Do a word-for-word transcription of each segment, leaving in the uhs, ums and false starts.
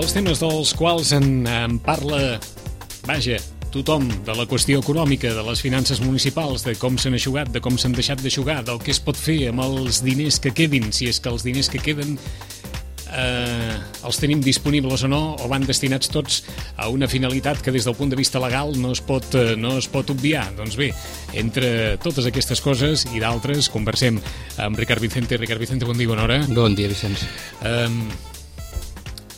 Els temes dels quals en, en parla, vaja, tothom, de la qüestió econòmica, de les finances municipals, de com s'han eixugat, de com s'han deixat d'eixugar, del que es pot fer amb els diners que quedin, si és que els diners que queden eh, els tenim disponibles o no, o van destinats tots a una finalitat que des del punt de vista legal no es pot, eh, no es pot obviar. Doncs bé, entre totes aquestes coses i d'altres, conversem amb Ricard Vicente. Ricard Vicente, bon dia, bona hora. Bon dia, Vicenç. Eh,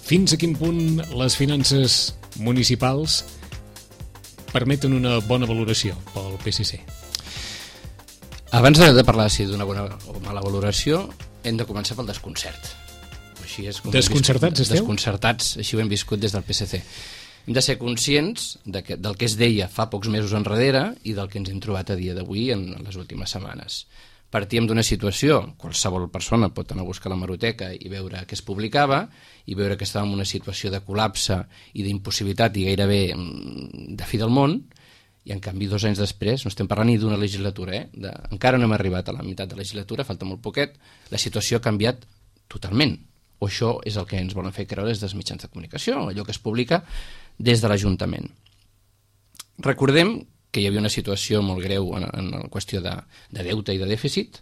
fins a quin punt les finances municipals permeten una bona valoració pel P S C? Abans de, de parlar si d'una bona o mala valoració, hem de començar pel desconcert. Així és com Desconcertats viscut, esteu? Desconcertats, així ho hem viscut des del P S C. Hem de ser conscients de que, del que es deia fa pocs mesos enrere i del que ens hem trobat a dia d'avui en les últimes setmanes. Partíem d'una situació, qualsevol persona pot anar a buscar la hemeroteca i veure què es publicava i veure que estàvem en una situació de col·lapse i d'impossibilitat i gairebé de fi del món, i en canvi dos anys després, no estem parlant ni d'una legislatura, eh? de, encara no hem arribat a la meitat de la legislatura, falta molt poquet, la situació ha canviat totalment, o això és el que ens volen fer creure des dels mitjans de comunicació, allò que es publica des de l'Ajuntament. Recordem que hi havia una situació molt greu en, en la qüestió de, de deute i de dèficit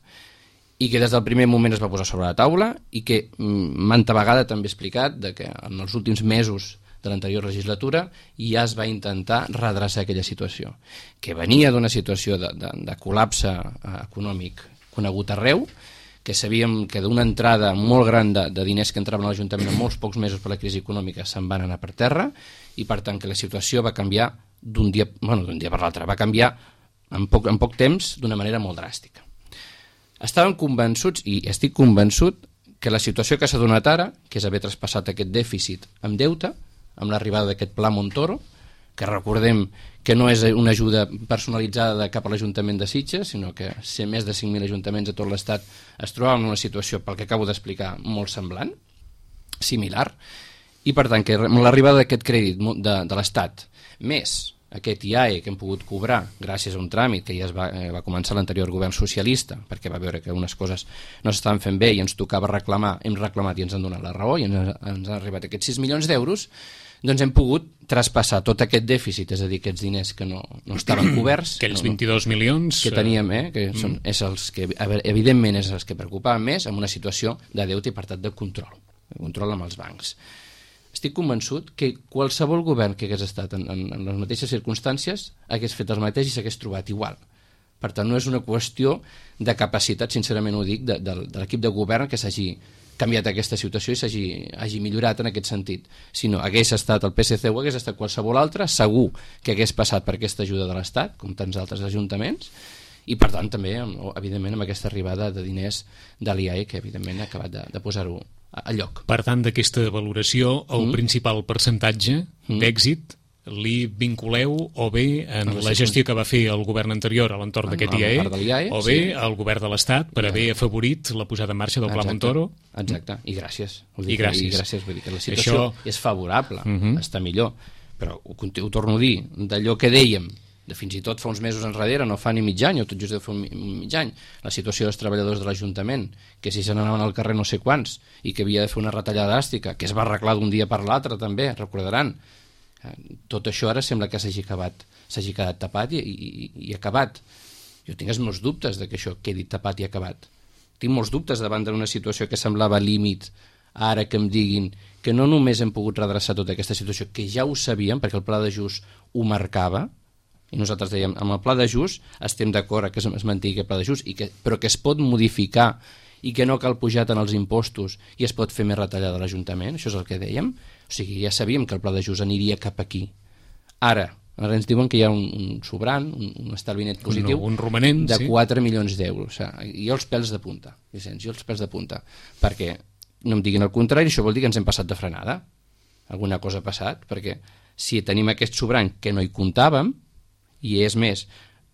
i que des del primer moment es va posar sobre la taula i que manta vegada també he explicat de que en els últims mesos de l'anterior legislatura ja es va intentar redreçar aquella situació, que venia d'una situació de, de, de col·lapse econòmic conegut arreu, que sabíem que d'una entrada molt gran de, de diners que entraven a l'Ajuntament en molts pocs mesos per la crisi econòmica se'n van anar per terra i per tant que la situació va canviar d'un dia, bueno, d'un dia per l'altre, va canviar en poc, en poc temps d'una manera molt dràstica. Estàvem convençuts, i estic convençut, que la situació que s'ha donat ara, que és haver traspassat aquest dèficit amb deute, amb l'arribada d'aquest Pla Montoro, que recordem que no és una ajuda personalitzada cap a l'Ajuntament de Sitges, sinó que ser més de cinc mil ajuntaments a tot l'Estat es trobaven en una situació, pel que acabo d'explicar, molt semblant, similar, i per tant que amb l'arribada d'aquest crèdit de, de l'Estat, més aquest I A E que hem pogut cobrar gràcies a un tràmit que ja es va, eh, va començar l'anterior govern socialista, perquè va veure que unes coses no s'estaven fent bé i ens tocava reclamar, hem reclamat i ens han donat la raó i ens, ens han arribat aquests sis milions d'euros, doncs hem pogut traspassar tot aquest dèficit, és a dir, aquests diners que no, no estaven coberts, aquells no, vint-i-dos milions que teníem, eh, que són, mm. és els que evidentment és els que preocupaven més, amb una situació de deute i per tant de control, de control amb els bancs. Estic convençut que qualsevol govern que hagués estat en, en, en les mateixes circumstàncies hagués fet el mateix i s'hagués trobat igual. Per tant, no és una qüestió de capacitat, sincerament ho dic, de, de, de l'equip de govern que s'hagi canviat aquesta situació i s'hagi hagi millorat en aquest sentit. Si no hagués estat el P S C o hagués estat qualsevol altre, segur que hagués passat per aquesta ajuda de l'Estat, com tants altres ajuntaments, i per tant també, evidentment, amb aquesta arribada de diners de l'I A E, que evidentment ha acabat de, de posar-ho a lloc. Per tant, d'aquesta valoració, el mm. principal percentatge mm. d'èxit li vinculeu o bé en no la gestió que va fer el govern anterior a l'entorn d'aquest I A E, I A E o bé sí. al govern de l'Estat per haver afavorit la posada en marxa del Pla Montoro. Exacte, i gràcies. I gràcies. I gràcies, vull dir que la situació Això... és favorable, uh -huh. està millor, però ho, ho torno a dir, d'allò que dèiem, de fins i tot fa uns mesos enrere, no fa ni mig any, o tot just deu fer un mig any, la situació dels treballadors de l'Ajuntament, que si se n'anaven al carrer no sé quants, i que havia de fer una retallada dràstica, que es va arreglar d'un dia per l'altre també, recordaran. Tot això ara sembla que s'hagi acabat, s'hagi quedat tapat i, i, i acabat. Jo tinc els meus dubtes de que això quedi tapat i acabat. Tinc molts dubtes davant d'una situació que semblava límit, ara que em diguin que no només hem pogut redreçar tota aquesta situació, que ja ho sabíem, perquè el pla d'ajust ho marcava, i nosaltres dèiem, amb el pla d'ajust estem d'acord que es mantingui el pla d'ajust, i que, però que es pot modificar i que no cal pujar tant els impostos i es pot fer més retallada a l'Ajuntament, això és el que dèiem. O sigui, ja sabíem que el pla d'ajust aniria cap aquí. Ara, ara ens diuen que hi ha un, un sobrant, un, un estalvi net positiu un, un romanent, de sí. quatre milions d'euros. O sigui, jo els pèls de punta, Vicenç, jo els pèls de punta, perquè no em diguin el contrari, això vol dir que ens hem passat de frenada. Alguna cosa ha passat, perquè si tenim aquest sobrant que no hi comptàvem, i és més,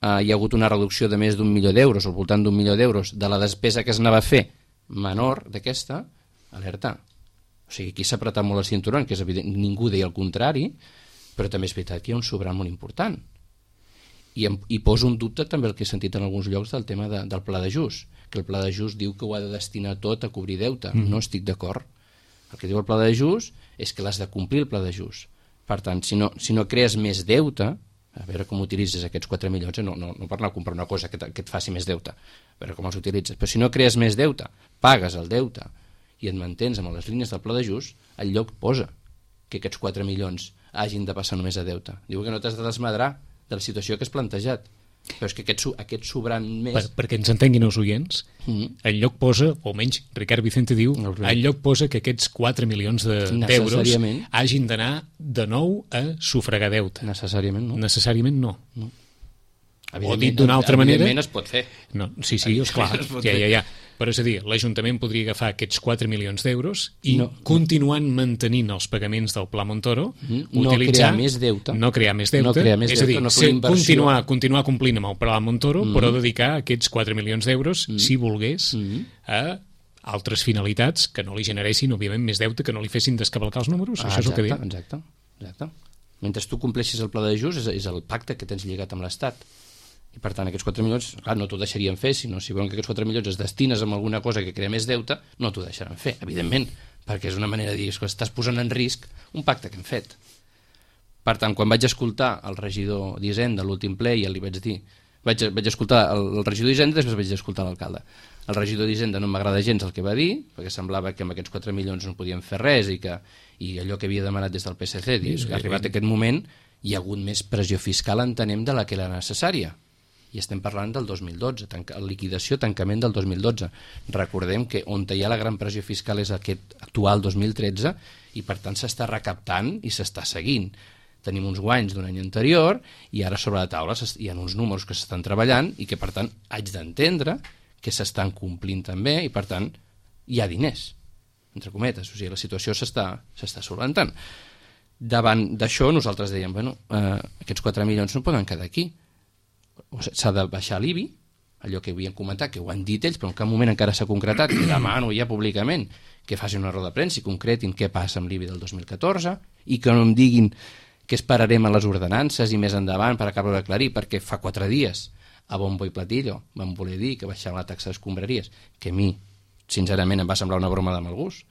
eh, hi ha hagut una reducció de més d'un milió d'euros, o al voltant d'un milió d'euros, de la despesa que es anava a fer menor d'aquesta, alerta. O sigui, aquí s'ha apretat molt el cinturó, que és evident, ningú deia el contrari, però també és veritat que hi ha un sobrant molt important. I, em, i poso un dubte també el que he sentit en alguns llocs del tema de, del pla d'ajust, que el pla d'ajust diu que ho ha de destinar tot a cobrir deute. Mm. No estic d'acord. El que diu el pla d'ajust és que l'has de complir el pla d'ajust. Per tant, si no, si no crees més deute, a veure com utilitzes aquests quatre milions, eh? no, no, no per anar a comprar una cosa que, que et faci més deute, a veure com els utilitzes, però si no crees més deute, pagues el deute i et mantens amb les línies del pla d'ajust, el lloc posa que aquests quatre milions hagin de passar només a deute. Diu que no t'has de desmadrar de la situació que has plantejat. Però és que aquest, aquest sobrant més... Per, perquè ens entenguin els oients, mm-hmm. el lloc posa, o menys Ricard Vicente diu, no, el lloc posa que aquests quatre milions d'euros de, hagin d'anar de nou a sufragar deute. Necessàriament no. Necessàriament no. no. O dit d'una altra manera... Evidentment es pot fer. No, sí, sí, esclar, ja, ja, ja. Però és a dir, l'Ajuntament podria agafar aquests quatre milions d'euros i no, continuant no. mantenint els pagaments del Pla Montoro, mm, no utilitzar... No crear més deute. No crear més deute. No crear més és a dir, deute, no ser, continuar, continuar complint amb el Pla Montoro, mm. però dedicar aquests quatre milions d'euros, mm. si volgués, mm. a altres finalitats que no li generessin, òbviament, més deute, que no li fessin descavalcar els números. Ah, això és exacte, el que diu. Exacte, exacte. Mentre tu compleixis el Pla d'ajust, és, és el pacte que tens lligat amb l'Estat. I per tant aquests quatre milions, clar, no t'ho deixarien fer, sinó si veuen que aquests quatre milions es destines a alguna cosa que crea més deute, no t'ho deixaran fer, evidentment, perquè és una manera de dir que estàs posant en risc un pacte que hem fet. Per tant, quan vaig escoltar el regidor d'Hisenda a l'últim ple, i li vaig dir, vaig, vaig escoltar el, el regidor d'Hisenda, després vaig escoltar l'alcalde. El regidor d'Hisenda no m'agrada gens el que va dir, perquè semblava que amb aquests quatre milions no podien fer res i que i allò que havia demanat des del P S C, dius, que arribat aquest moment hi ha hagut més pressió fiscal, entenem, de la que era necessària. I estem parlant del dos mil dotze, tanca, liquidació, tancament del dos mil dotze. Recordem que on hi ha la gran pressió fiscal és aquest actual dos mil tretze i per tant s'està recaptant i s'està seguint. Tenim uns guanys d'un any anterior i ara sobre la taula hi ha uns números que s'estan treballant i que per tant haig d'entendre que s'estan complint també i per tant hi ha diners, entre cometes, o sigui, la situació s'està s'està solventant. Davant d'això nosaltres dèiem, bueno, eh, aquests quatre milions no poden quedar aquí. S'ha de baixar l'I B I, allò que havien comentat, que ho han dit ells, però en cap moment encara s'ha concretat, que demano ja públicament que facin una roda de premsa i concretin què passa amb l'I B I del dos mil catorze i que no em diguin que esperarem a les ordenances i més endavant per acabar d'aclarir, perquè fa quatre dies a bombo i platillo van voler dir que baixaven la taxa d'escombraries, que a mi, sincerament, em va semblar una broma de mal gust,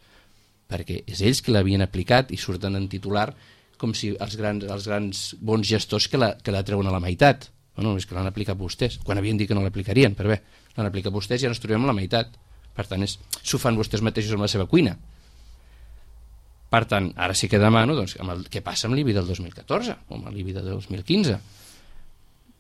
perquè és ells que l'havien aplicat i surten en titular com si els grans, els grans bons gestors que la, que la treuen a la meitat. Bueno, és que l'han aplicat vostès, quan havien dit que no l'aplicarien, però bé, l'han aplicat vostès i ara ens trobem a la meitat. Per tant, és, s'ho fan vostès mateixos amb la seva cuina. Per tant, ara sí que demano doncs, amb el, què passa amb l'I B I del dos mil catorze o amb l'I B I del dos mil quinze.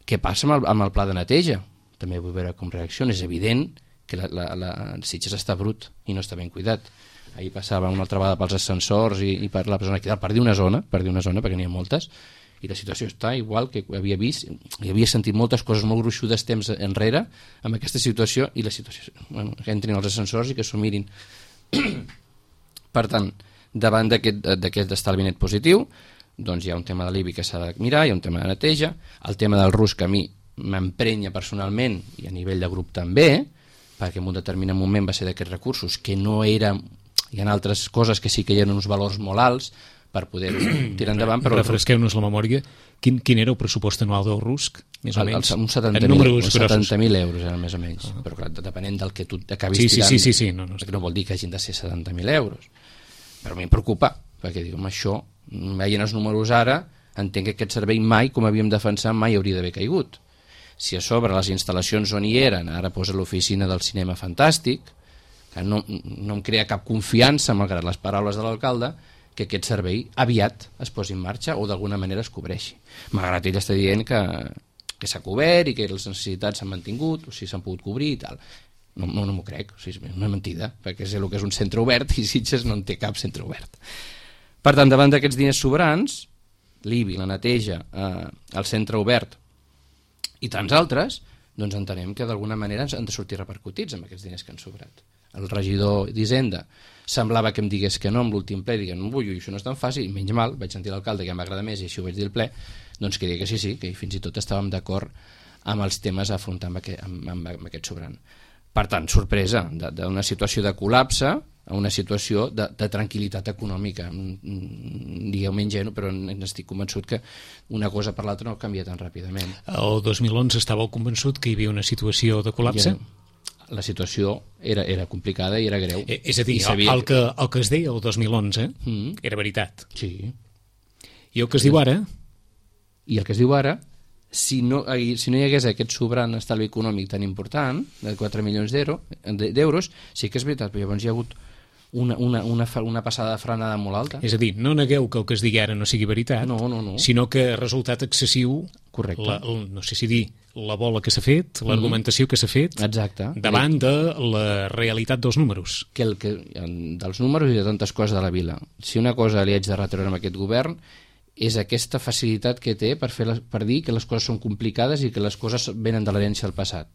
Què passa amb el, amb el pla de neteja? També vull veure com reacciona. És evident que la, la, la Sitges està brut i no està ben cuidat. Ahir passava una altra vegada pels ascensors i, i per la zona que per dir una zona, per dir una zona, perquè n'hi ha moltes, i la situació està igual que havia vist i havia sentit moltes coses molt gruixudes temps enrere amb aquesta situació i la situació, bueno, que entrin als ascensors i que s'ho mirin. Per tant, davant d'aquest estalvi net positiu, doncs hi ha un tema de l'I B I que s'ha de mirar, hi ha un tema de neteja, el tema del RUS que a mi m'emprenya personalment i a nivell de grup també, perquè en un determinat moment va ser d'aquests recursos que no era, hi ha altres coses que sí que hi ha uns valors molt alts per poder tirar endavant. Però refresqueu-nos la memòria. Quin, quin era el pressupost anual del RUSC, més o el, menys? Uns setanta mil euros, era més o menys. Uh-huh. Però clar, depenent del que tu acabis sí, tirant, sí, sí, sí, no, no, no vol dir que hagin de ser setanta mil euros. Però a mi em preocupa, perquè dic, home, això, veient els números ara, entenc que aquest servei mai, com havíem defensat, mai hauria d'haver caigut. Si a sobre les instal·lacions on hi eren, ara posa l'oficina del cinema fantàstic, que no, no em crea cap confiança, malgrat les paraules de l'alcalde, que aquest servei aviat es posi en marxa o d'alguna manera es cobreixi. Malgrat ell està dient que, que s'ha cobert i que les necessitats s'han mantingut, o sigui, s'han pogut cobrir i tal. No, no, no m'ho crec, o sigui, és una mentida, perquè és el que és un centre obert i Sitges no en té cap centre obert. Per tant, davant d'aquests diners sobrants, l'I B I, la neteja, eh, el centre obert i tants altres, doncs entenem que d'alguna manera han de sortir repercutits amb aquests diners que han sobrat. El regidor d'Hisenda semblava que em digués que no amb l'últim ple, diguem, no vull, això no és tan fàcil, i menys mal, vaig sentir l'alcalde que m'agrada més i així ho vaig dir al ple, doncs que digui que sí, sí, que fins i tot estàvem d'acord amb els temes a afrontar amb aquest, amb, amb, amb aquest sobrant. Per tant, sorpresa, d'una situació de col·lapse a una situació de, de tranquil·litat econòmica. Digueu-me ingenu, però estic convençut que una cosa per l'altra no canvia tan ràpidament. El dos mil onze estàveu convençut que hi havia una situació de col·lapse? Ja, la situació era, era complicada i era greu. Eh, és a dir, sabia... el, que, el que es deia el dos mil onze mm. era veritat. Sí. I el que es diu ara... I el que es diu ara, si no, si no hi hagués aquest sobrant estalvi econòmic tan important, de quatre milions d'euros, sí que és veritat, però llavors hi ha hagut una, una, una, una passada de frenada molt alta. És a dir, no negueu que el que es digui ara no sigui veritat, no, no, no. sinó que ha resultat excessiu, correcte, la, no sé si dir, la bola que s'ha fet, mm. l'argumentació que s'ha fet, exacte, davant de la realitat dels números. Que el que, dels números i de tantes coses de la vila. Si una cosa li haig de retreure amb aquest govern és aquesta facilitat que té per, fer les, per dir que les coses són complicades i que les coses venen de l'herència del passat.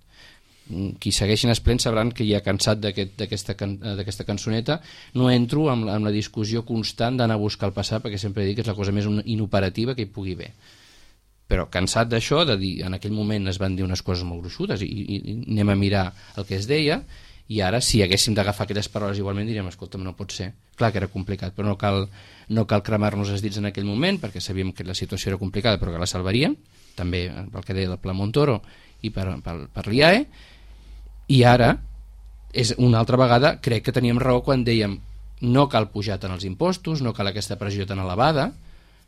Qui segueixin esplens sabran que ja cansat d'aquesta aquest, cançoneta, no entro amb, amb la discussió constant d'anar a buscar el passat, perquè sempre dic que és la cosa més inoperativa que hi pugui haver. Però cansat d'això, de dir, en aquell moment es van dir unes coses molt gruixudes i, i, i anem a mirar el que es deia, i ara si haguéssim d'agafar aquelles paraules igualment diríem, escolta'm, no pot ser. Clar que era complicat, però no cal, no cal cremar-nos els dits en aquell moment, perquè sabíem que la situació era complicada però que la salvaríem, també pel que deia del Pla Montoro i per, per, per l'I A E, i ara és una altra vegada crec que teníem raó quan dèiem no cal pujar tant els impostos, no cal aquesta pressió tan elevada,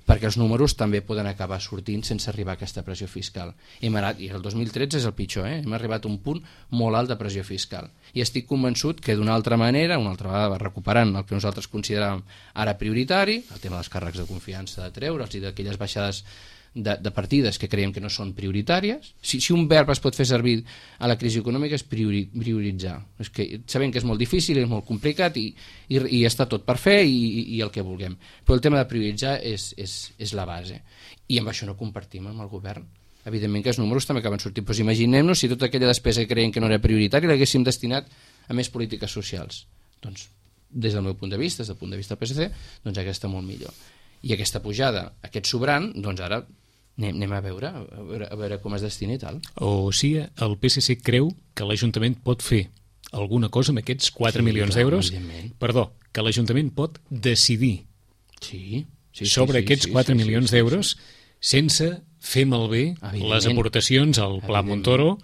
perquè els números també poden acabar sortint sense arribar a aquesta pressió fiscal. Hem anat, i el dos mil tretze és el pitjor, eh? hem arribat a un punt molt alt de pressió fiscal. I estic convençut que d'una altra manera, una altra vegada recuperant el que nosaltres consideràvem ara prioritari, el tema dels càrrecs de confiança de treure'ls i d'aquelles baixades de, de partides que creiem que no són prioritàries. Si, si un verb es pot fer servir a la crisi econòmica és priori, prioritzar. És que sabem que és molt difícil, és molt complicat i, i, i està tot per fer i, i, i el que vulguem. Però el tema de prioritzar és, és, és la base. I amb això no compartim amb el govern. Evidentment que els números també acaben sortint. Però imaginem-nos si tota aquella despesa que creiem que no era prioritària l'haguéssim destinat a més polítiques socials. Doncs, des del meu punt de vista, des del punt de vista del P S C, doncs aquesta molt millor. I aquesta pujada, aquest sobrant, doncs ara anem, anem a, veure, a veure a veure com es destina i tal. O sigui, el P S C creu que l'Ajuntament pot fer alguna cosa amb aquests quatre sí, milions clar, d'euros? Perdó, que l'Ajuntament pot decidir sí, sí, sobre sí, aquests sí, quatre sí, milions sí, sí, d'euros sí. sense fer malbé les aportacions al Pla Montoro?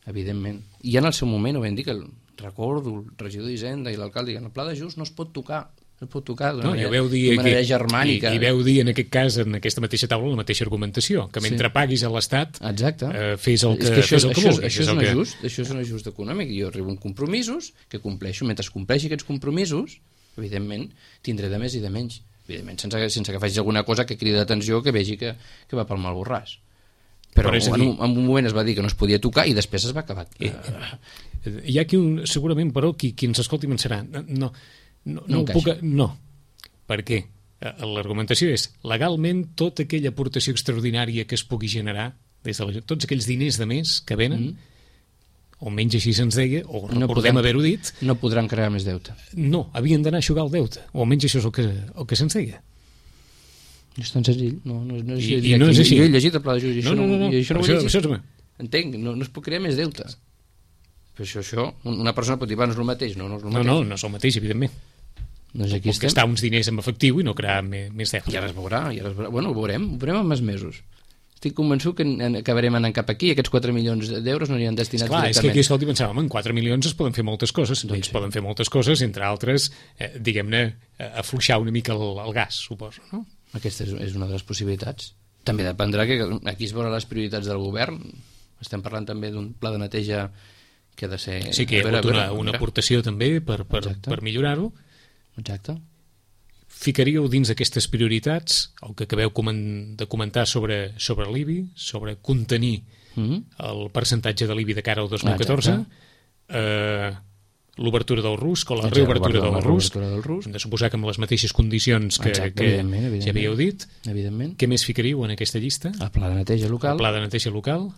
Evidentment. I en el seu moment ho vam dir, que el, recordo el regidor d'Hisenda i l'alcalde que el pla d'ajust no es pot tocar, no es pot tocar d'una no, manera, dir manera que, germànica. I, I veu dir en aquest cas, en aquesta mateixa taula, la mateixa argumentació, que mentre sí. paguis a l'Estat eh, fes el que, és que això, fes el que això, vulguis. Això és, un que... ajust, això és un ajust econòmic. Jo arribo amb compromisos que compleixo. Mentre compleixi aquests compromisos, evidentment, tindré de més i de menys. Evidentment, sense, sense que faci alguna cosa que cridi l'atenció, que vegi que, que va pel mal borràs. Però, Però en, un, en un moment es va dir que no es podia tocar i després es va acabar. Eh, hi ha qui, un, segurament, però, qui, qui ens escolti pensarà no, no, no, no, no puc... No. Per què? L'argumentació és legalment tota aquella aportació extraordinària que es pugui generar des de la, tots aquells diners de més que venen, mm. o menys així se'ns deia, o no recordem haver-ho dit, no podran crear més deute. No, havien d'anar a aixugar el deute, o almenys això és el que, el que se'ns deia. No és tan senzill. No, no, no és, I, i no és així. Jo he llegit el pla d'ajust i no, això no, no, no, no, això no ho he llegit. Això, entenc, no, no es pot crear més deute. Però això, això, una persona pot dir, va, no és el mateix. No, no és el mateix. No, no, no és el mateix, evidentment. Doncs aquí estem. Gastar uns diners en efectiu i no crear més, més deute. I ara es veurà, i ara es veurà. Bueno, ho veurem, ho veurem en més mesos. Estic convençut que acabarem anant cap aquí i aquests quatre milions d'euros no aniran destinats Esclar, directament. És que aquí, escolti, pensàvem, en quatre milions es poden fer moltes coses. Doncs sí. Poden fer moltes coses, entre altres, eh, diguem-ne, afluixar una mica el, el gas, suposo, no? Aquesta és, és una de les possibilitats. També dependrà que aquí es veurà les prioritats del govern. Estem parlant també d'un pla de neteja que ha de ser... Sí, que hi ha hagut una, una aportació també per, per, per millorar-ho. Exacte. Ficaríeu dins d'aquestes prioritats el que acabeu de comentar sobre, sobre l'I B I, sobre contenir mm-hmm. el percentatge de l'I B I de cara al dos mil catorze, eh, l'obertura del RUSC o la Exacte, reobertura del RUSC, del RUSC. Hem de suposar que amb les mateixes condicions que, Exacte, que evidentment, evidentment. ja havíeu dit. Evidentment. Què més ficaríeu en aquesta llista? El pla de neteja local. El pla de neteja local.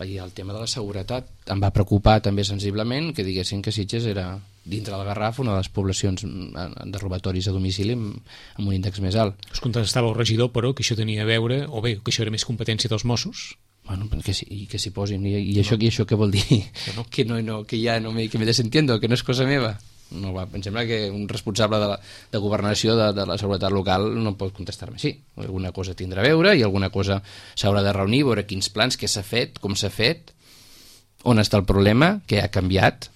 I el tema de la seguretat em va preocupar també sensiblement que diguessin que Sitges era, dintre del Garraf, una de les poblacions de robatoris a domicili amb, amb un índex més alt. Us contestava el regidor, però, que això tenia a veure, o bé, que això era més competència dels Mossos. Bueno, que sí, que s'hi posin. I, i, això, no. I això què vol dir? Que, no. que, no, no, que ja no me, que me desentiendo, que no és cosa meva. No, va, em sembla que un responsable de, la, de governació de, de la seguretat local no pot contestar-me així. Alguna cosa tindrà a veure i alguna cosa s'haurà de reunir, veure quins plans, què s'ha fet, com s'ha fet, on està el problema, què ha canviat,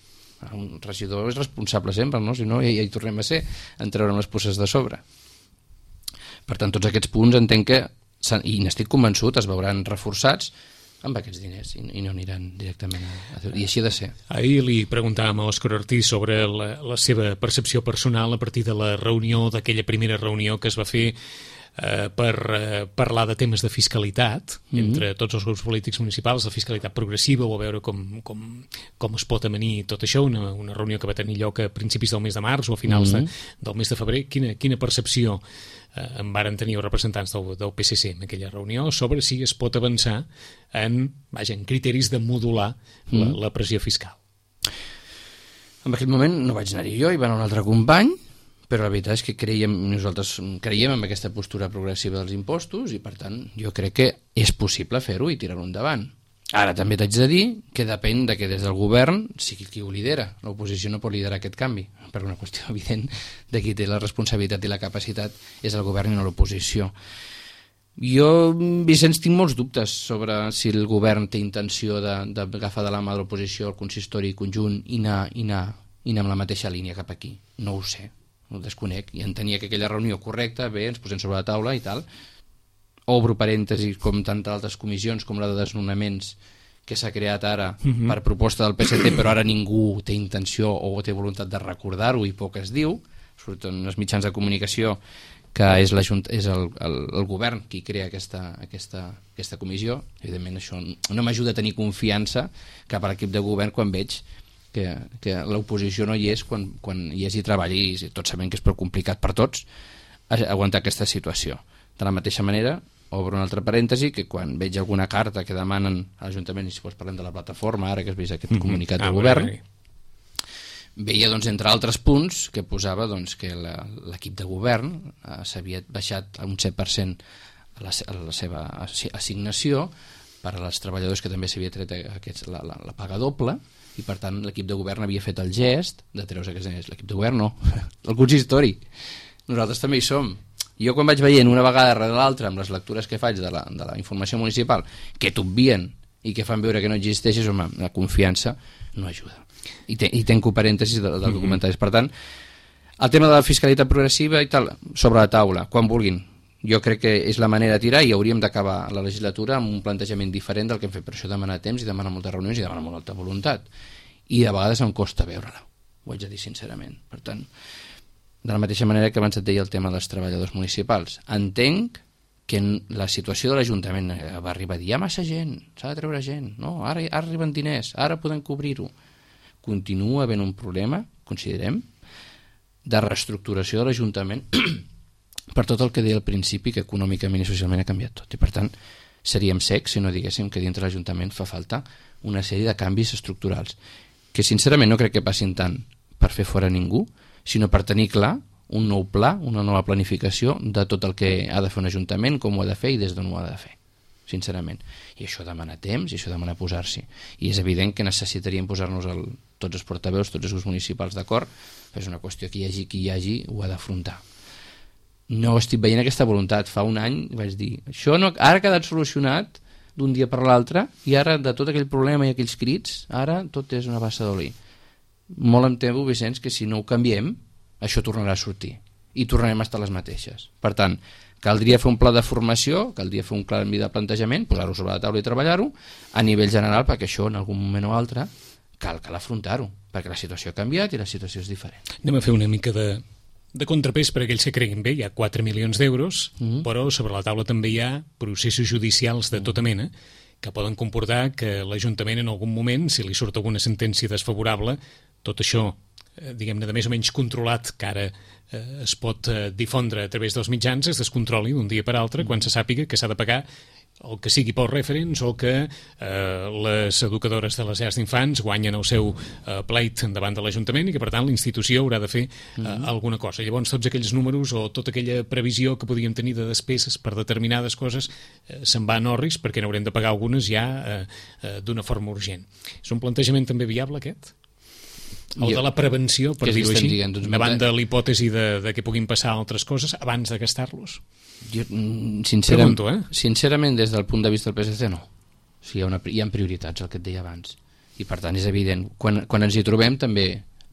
Un regidor és responsable sempre, no? Si no, ja, ja hi tornem a ser, en treure'm les puces de sobre. Per tant, tots aquests punts entenc que, i n'estic convençut, es veuran reforçats amb aquests diners i, i no aniran directament a, a... I així ha de ser. Ahir li preguntàvem a Òscar Ortiz sobre la, la seva percepció personal a partir de la reunió, d'aquella primera reunió que es va fer eh, per eh, parlar de temes de fiscalitat mm-hmm. entre tots els grups polítics municipals, de fiscalitat progressiva, o a veure com, com, com es pot amanir tot això, una, una reunió que va tenir lloc a principis del mes de març o a finals mm-hmm. de, del mes de febrer. Quina, quina percepció eh, en varen tenir els representants del, del P S C en aquella reunió sobre si es pot avançar en, vaja, en criteris de modular mm. la, la pressió fiscal? En aquell moment no vaig anar-hi jo, hi va anar un altre company, però la veritat és que creiem, nosaltres creiem en aquesta postura progressiva dels impostos i per tant jo crec que és possible fer-ho i tirar-ho endavant. Ara també t'haig de dir que depèn de que des del govern sigui qui ho lidera. L'oposició no pot liderar aquest canvi, per una qüestió evident de qui té la responsabilitat i la capacitat és el govern i no l'oposició. Jo, Vicenç, tinc molts dubtes sobre si el govern té intenció d'agafar de, de la mà de l'oposició el consistori conjunt i anar, i, anar, i anar amb la mateixa línia cap aquí. No ho sé, ho desconec. I entenia que aquella reunió correcta, bé, ens posem sobre la taula i tal. Obro parèntesis, com tantes altres comissions, com la de desnonaments, que s'ha creat ara uh-huh. per proposta del P S C, però ara ningú té intenció o té voluntat de recordar-ho i poc es diu, sobretot en els mitjans de comunicació, que és, és el, el, el govern qui crea aquesta, aquesta, aquesta comissió. Evidentment això no m'ajuda a tenir confiança cap a l'equip de govern quan veig que, que l'oposició no hi és quan, quan hi és i treballi, i tots sabem que és prou complicat per tots aguantar aquesta situació. De la mateixa manera, obro un altre parèntesi, que quan veig alguna carta que demanen a l'Ajuntament, i si vols parlem de la plataforma, ara que has vist aquest mm-hmm. comunicat del ah, govern, bé, bé. veia, doncs, entre altres punts, que posava doncs, que l'equip de govern eh, s'havia baixat a un set per cent a la, a la seva assignació per als treballadors que també s'havia tret aquests, la, la, la paga doble, i per tant l'equip de govern havia fet el gest de treure's aquests diners. L'equip de govern no, el consistori. Nosaltres també hi som. Jo quan vaig veient una vegada darrere l'altra amb les lectures que faig de la, de la informació municipal que t'obvien i que fan veure que no existeixes, home, la confiança no ajuda. I, te, i tenco parèntesis del, del mm-hmm. comentaris. Per tant, el tema de la fiscalitat progressiva i tal, sobre la taula, quan vulguin. Jo crec que és la manera de tirar i hauríem d'acabar la legislatura amb un plantejament diferent del que hem fet. Per això demana temps i demana moltes reunions i demana molta voluntat. I de vegades em costa veure-la, ho haig de dir sincerament. Per tant, de la mateixa manera que abans et deia el tema dels treballadors municipals. Entenc que la situació de l'Ajuntament va arribar a dir hi ha massa gent, s'ha de treure gent, no? Ara, ara arriben diners, ara podem cobrir-ho. Continua havent un problema, considerem, de reestructuració de l'Ajuntament per tot el que deia al principi, que econòmicament i socialment ha canviat tot. I per tant, seríem secs si no diguéssim que dintre l'Ajuntament fa falta una sèrie de canvis estructurals, que sincerament no crec que passin tant per fer fora ningú, sinó per tenir clar un nou pla, una nova planificació de tot el que ha de fer un ajuntament, com ho ha de fer i des d'on ho ha de fer, sincerament. I això demana temps i això demana posar-s'hi. I és evident que necessitaríem posar-nos el, tots els portaveus, tots els grups municipals d'acord, però és una qüestió que hi hagi qui hi hagi ho ha d'afrontar. No estic veient aquesta voluntat. Fa un any vaig dir, això no, ara ha quedat solucionat d'un dia per l'altre i ara de tot aquell problema i aquells crits, ara tot és una bassa d'oli. Molt em temo, Vicenç, que si no ho canviem, això tornarà a sortir i tornarem a estar les mateixes. Per tant, caldria fer un pla de formació, caldria fer un canvi de plantejament, posar-ho sobre la taula i treballar-ho a nivell general, perquè això en algun moment o altre cal, cal afrontar-ho, perquè la situació ha canviat i la situació és diferent. Anem a fer una mica de, de contrapès per a aquells que creguin bé. Hi ha quatre milions d'euros, mm-hmm. però sobre la taula també hi ha processos judicials de tota mena que poden comportar que l'Ajuntament en algun moment, si li surt alguna sentència desfavorable, tot això, eh, diguem-ne, de més o menys controlat, que ara eh, es pot eh, difondre a través dels mitjans, es descontroli d'un dia per altre quan se sàpiga que s'ha de pagar el que sigui pels referents o que eh, les educadores de les llars d'infants guanyen el seu eh, pleit davant de l'Ajuntament i que, per tant, la institució haurà de fer eh, mm-hmm. alguna cosa. Llavors, tots aquells números o tota aquella previsió que podíem tenir de despeses per determinades coses eh, se'n va en orris perquè n'haurem de pagar algunes ja eh, eh, d'una forma urgent. És un plantejament també viable, aquest? El de la prevenció, per dir-ho així, dient, doncs, davant de l'hipòtesi de, de que puguin passar altres coses abans de gastar-los? Jo, sincerament, Pregunto, eh? sincerament, des del punt de vista del P S C, no. O sigui, hi ha, una, hi ha prioritats, el que et deia abans. i per tant és evident, quan, quan ens hi trobem també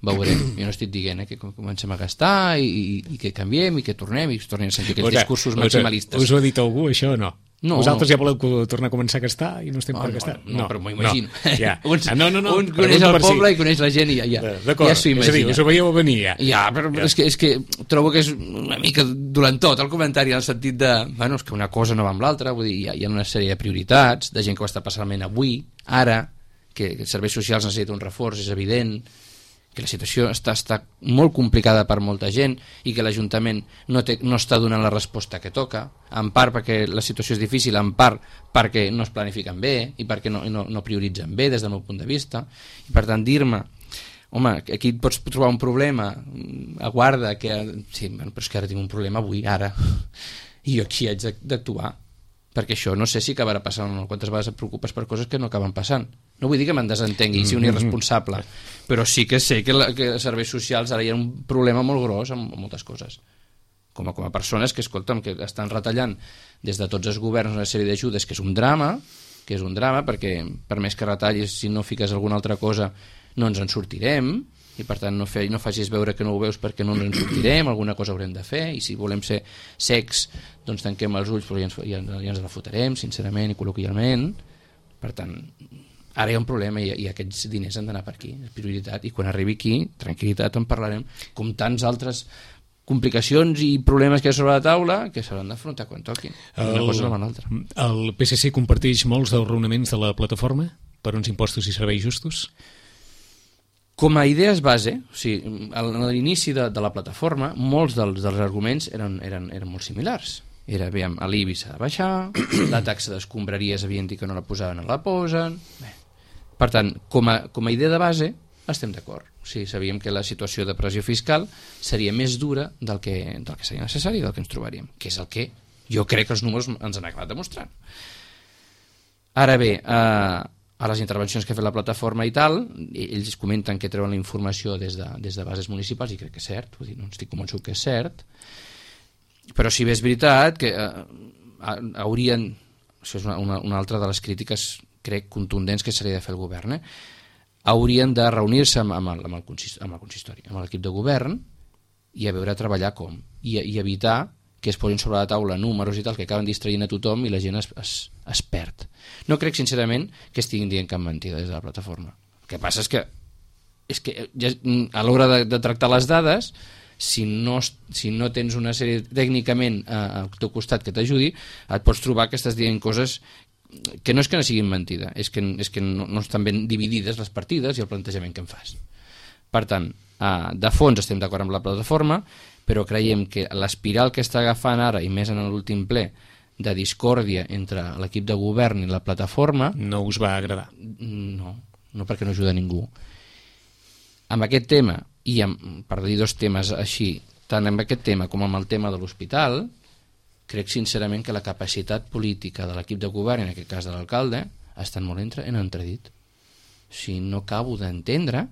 veurem, jo no estic dient eh, que comencem a gastar i, i, i que canviem i que tornem i es tornin a sentir aquells Ora, discursos maximalistes. Us ho ha dit algú això o no? No, Vosaltres no. ja voleu tornar a començar a gastar i no estem No, per no, gastar? no, no, però m'ho imagino. No, ja. un, ah, no, no, no, un coneix el poble si. I coneix la gent i ja, ja, D'acord, ja s'ho és a dir, imagina. us ho veieu venir ja. Ja, però, però ja. És, que, és que trobo que és una mica dolentot el comentari en el sentit de, bueno, és que una cosa no va amb l'altra, vull dir, hi ha, hi ha una sèrie de prioritats, de gent que ho està passant malament avui, ara, que, que els serveis socials necessiten un reforç, és evident, que la situació està, està molt complicada per molta gent i que l'Ajuntament no, té, no està donant la resposta que toca, en part perquè la situació és difícil, en part perquè no es planifiquen bé i perquè no, no, no prioritzen bé des del meu punt de vista. I per tant dir-me, home, aquí et pots trobar un problema, aguarda, que... sí, bueno, però és que ara tinc un problema avui, ara, i jo aquí haig d'actuar, perquè això no sé si acabarà passant o no. Quantes vegades et preocupes per coses que no acaben passant. No vull dir que me'n desentengui i sigui un irresponsable, però sí que sé que, la, que els serveis socials ara hi ha un problema molt gros amb, amb moltes coses. Com a, com a persones que, escolta'm, que estan retallant des de tots els governs una sèrie d'ajudes, que és un drama, que és un drama, perquè per més que retallis, si no fiques alguna altra cosa, no ens en sortirem, i per tant no, fe, no facis veure que no ho veus perquè no ens en sortirem, alguna cosa haurem de fer, i si volem ser secs, doncs tanquem els ulls, però ja ens, ja, ja ens la fotrem, sincerament i col·loquialment. Per tant, ara hi ha un problema i, i aquests diners han d'anar per aquí, és prioritat, i quan arribi aquí, tranquil·litat, en parlarem, com tants altres complicacions i problemes que hi ha sobre la taula que s'hauran d'afrontar quan toqui. Una El, cosa no va l'altra. El P S C comparteix molts dels raonaments de la plataforma per uns impostos i serveis justos? Com a idees base, o sigui, a l'inici de, de la plataforma, molts dels, dels arguments eren, eren, eren molt similars. Era, aviam, l'I B I s'ha de baixar, la taxa d'escombraries havien dit que no la posaven, no la posen... Bé. Per tant, com a, com a idea de base, estem d'acord. O sigui, sabíem que la situació de pressió fiscal seria més dura del que, del que seria necessari, del que ens trobaríem, que és el que jo crec que els números ens han acabat demostrant. Ara bé, eh, a les intervencions que ha fet la plataforma i tal, ells comenten que treuen la informació des de, des de bases municipals i crec que és cert, vull dir, no estic convençut que és cert, però si bé és veritat que eh, haurien, això és una, una, una altra de les crítiques crec contundents que s'hauria de fer el govern, eh? Haurien de reunir-se amb, amb, el, amb, el consistori, amb el consistori, amb l'equip de govern i a veure a treballar com, i, i evitar que es posin sobre la taula números i tal que acaben distraient a tothom i la gent es, es, es perd. No crec sincerament que estiguin dient cap mentida des de la plataforma. El que passa és que, és que ja, a l'hora de, de tractar les dades, si no, si no tens una sèrie tècnicament eh, al teu costat que t'ajudi, et pots trobar que estàs dient coses que no és que no siguin mentida, és que, és que no, no estan ben dividides les partides i el plantejament que en fas. Per tant, eh, de fons estem d'acord amb la plataforma, però creiem que l'espiral que està agafant ara, i més en l'últim ple, de discòrdia entre l'equip de govern i la plataforma... No us va agradar? No, no perquè no ajuda a ningú. Amb aquest tema, i amb, per dir dos temes així, tant amb aquest tema com amb el tema de l'hospital, crec sincerament que la capacitat política de l'equip de govern, en aquest cas de l'alcalde, estan molt entre, en entredit. O sigui, no acabo d'entendre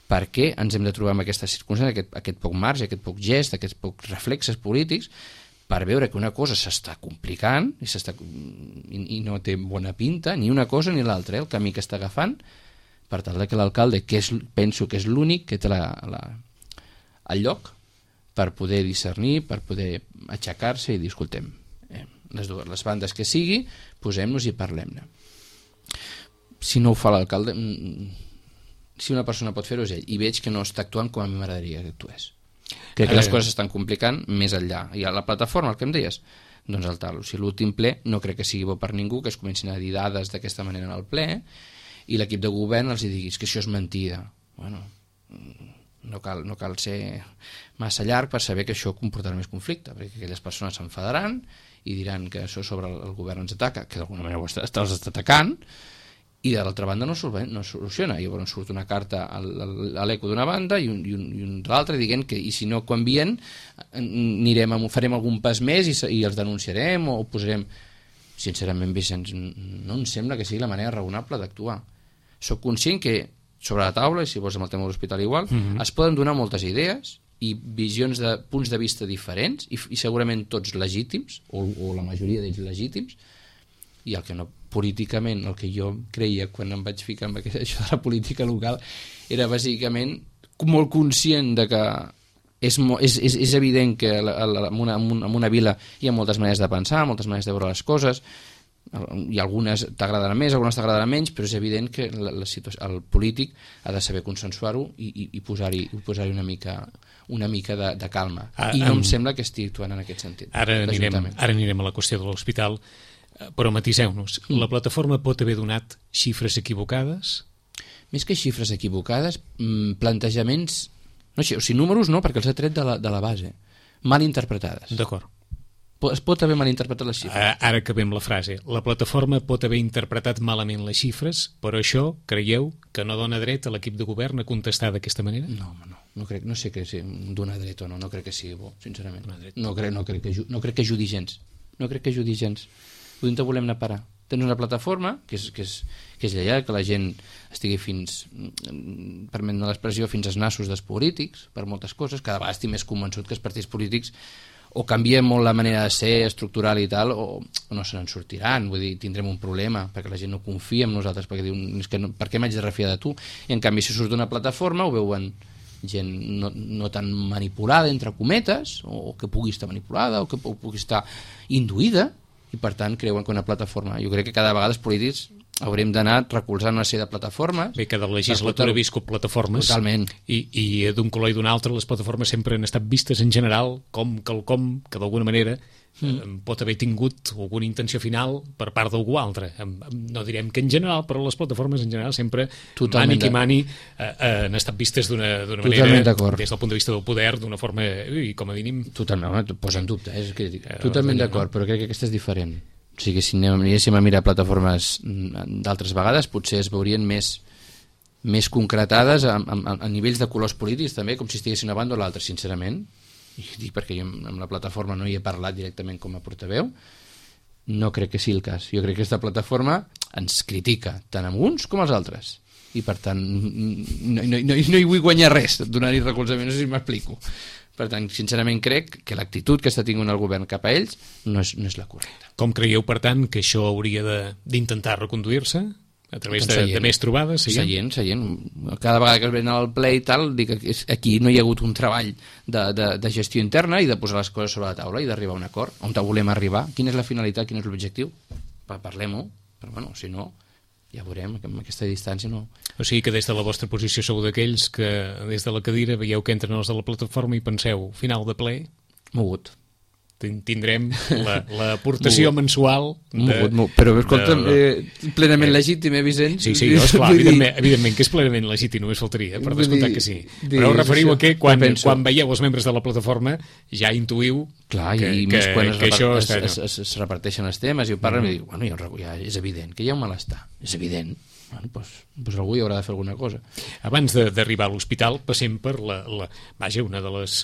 per què ens hem de trobar en aquesta circumstància, aquest, aquest poc marge, aquest poc gest, aquests pocs reflexes polítics, per veure que una cosa s'està complicant i, s'està, i, i no té bona pinta, ni una cosa ni l'altra, eh, el camí que està agafant, per tal que l'alcalde, que és, penso que és l'únic que té la, la, el lloc per poder discernir, per poder aixecar-se i dir, escoltem, eh, les, dues, les bandes que sigui, posem-nos i parlem-ne. Si no ho fa l'alcalde... si una persona pot fer-ho és ell, i veig que no està actuant com a mi m'agradaria que actués. Crec que les coses s'estan complicant més enllà. I a la plataforma, el que em deies, doncs el tal. O sigui, l'últim ple no crec que sigui bo per ningú que es comencin a dir dades d'aquesta manera en el ple i l'equip de govern els diguis que això és mentida. Bueno, no cal, no cal ser massa llarg per saber que això comportarà més conflicte, perquè aquelles persones s'enfadaran i diran que això sobre el govern ens ataca, que d'alguna manera ho està, els està atacant, i de l'altra banda no, no soluciona. Llavors surt una carta a l'eco d'una banda i un, i un, i un de l'altra dient que i si no canvien anirem a, farem algun pas més i, i els denunciarem o posarem... Sincerament, Vicenç, no em sembla que sigui la manera raonable d'actuar. Soc conscient que sobre la taula, i si vols amb el tema de l'hospital igual, mm-hmm. es poden donar moltes idees i visions de punts de vista diferents i, i segurament tots legítims o, o la majoria d'ells legítims, i el que no políticament el que jo creia quan em vaig ficar amb això de la política local era bàsicament molt conscient de que és, és, és, és evident que la, la, en, una, en una vila hi ha moltes maneres de pensar, moltes maneres de veure les coses, i algunes t'agradaran més, algunes t'agradaran menys, però és evident que la, la situació, el polític ha de saber consensuar-ho i, i, i posar-hi posar una mica, una mica de, de calma. Ah, I no um, em sembla que estigui actuant en aquest sentit. Ara anirem, ara anirem a la qüestió de l'hospital, però matiseu-nos. Mm. La plataforma pot haver donat xifres equivocades? Més que xifres equivocades, plantejaments... No, o sigui, números no, perquè els he tret de la, de la base. Mal interpretades. D'acord. Es pot haver mal interpretat les xifres. Ara acabem la frase. La plataforma pot haver interpretat malament les xifres, però això, creieu, que no dona dret a l'equip de govern a contestar d'aquesta manera? No, home, no. No, crec, no sé que si dona dret o no, no crec que sigui bo, sincerament. No crec, no crec, que, no crec que ajudi gens. No crec que ajudi gens. Vull dir, volem anar a parar. Tens una plataforma que és, que és, que és lleial, que la gent estigui fins, permet l'expressió, fins als nassos dels polítics, per moltes coses. Cada vegada estic més convençut que els partits polítics o canvien molt la manera de ser estructural i tal, o, o no se n'en sortiran. Vull dir, tindrem un problema, perquè la gent no confia en nosaltres, perquè diuen, és que no, per què m'haig de refiar de tu? I en canvi, si surt d'una plataforma, ho veuen gent no, no tan manipulada, entre cometes, o que pugui estar manipulada, o que pugui estar induïda, i per tant creuen que una plataforma, jo crec que cada vegada els polítics haurem d'anar recolzant una sèrie de plataformes. Bé, cada legislatura ha viscut plataformes. Totalment. I, i d'un color i d'un altre les plataformes sempre han estat vistes en general com quelcom que d'alguna manera mm. pot haver tingut alguna intenció final per part d'algú altre. No direm que en general, però les plataformes en general sempre Totalment mani qui mani eh, han estat vistes d'una manera, des del punt de vista del poder, d'una forma, i com a mínim... Totalment, no, posa en dubte, eh? eh Totalment d'acord, però crec que aquesta és diferent. O sigui, si anéssim a mirar plataformes d'altres vegades, potser es veurien més, més concretades a, a, a nivells de colors polítics també, com si estiguessin a banda o l'altra, sincerament. I dic perquè jo amb la plataforma no hi he parlat directament com a portaveu, no crec que sigui el cas. Jo crec que aquesta plataforma ens critica tant amb uns com als altres, i per tant no, no, no, no hi vull guanyar res donar-hi recolzament, no sé si m'explico. Per tant, sincerament crec que l'actitud que està tinguent el govern cap a ells no és, no és la correcta. Com creieu, per tant, que això hauria d'intentar reconduir-se? A través de, de més trobades? Seient, seient. Cada vegada que es ven al ple i tal, dic que aquí no hi ha hagut un treball de, de, de gestió interna i de posar les coses sobre la taula i d'arribar a un acord. On volem arribar? Quina és la finalitat? Quin és l'objectiu? Parlem-ho, però bueno, si no, ja veurem, amb aquesta distància no... O sigui que des de la vostra posició sou d'aquells que des de la cadira veieu que entren els de la plataforma i penseu, final de ple... Mogut. Tindrem l'aportació la, mensual de, mogut, mogut. Però escolta'm, de, eh, plenament eh, legítim, eh, Vicent? Sí, sí, esclar, evidentment, evidentment que és plenament legítim, només faltaria, per descomptar que sí. Però us referiu a que quan, quan veieu els membres de la plataforma ja intuïu clar, que, i que, més quan es, que això es, està, es, es, es reparteixen els temes i ho parlen mm. i dic, bueno, ja, ja és evident que hi ha un malestar, és evident. Bueno, doncs, doncs algú hi haurà de fer alguna cosa. Abans d'arribar a l'hospital passem per la, la, vaja, una de les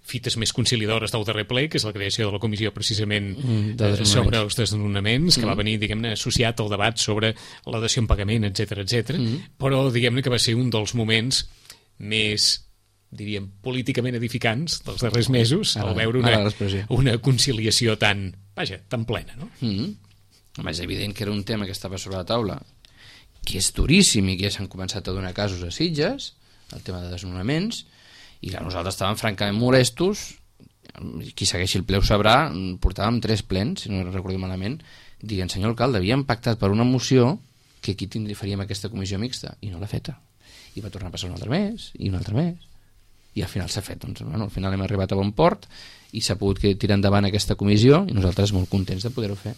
fites més conciliadores del darrer ple, que és la creació de la comissió precisament mm, de sobre els desnonaments, que mm. va venir, diguem-ne, associat al debat sobre la dació en pagament, etcètera, etcètera. Mm. Però, diguem-ne, que va ser un dels moments més, diríem, políticament edificants dels darrers mesos, ara, al veure una, una conciliació tan, vaja, tan plena, no? Mm. Home, és evident que era un tema que estava sobre la taula, que és duríssim i que ja s'han començat a donar casos a Sitges, el tema de desnonaments, i clar, nosaltres estàvem francament molestos, qui segueixi el ple ho sabrà, portàvem tres plens, si no recordo malament, dient, senyor alcalde, havíem pactat per una moció que aquí tindria, faríem aquesta comissió mixta, i no l'ha feta. I va tornar a passar un altre mes, i un altre mes, i al final s'ha fet. Doncs, bueno, al final hem arribat a bon port, i s'ha pogut tirar endavant aquesta comissió, i nosaltres molt contents de poder-ho fer.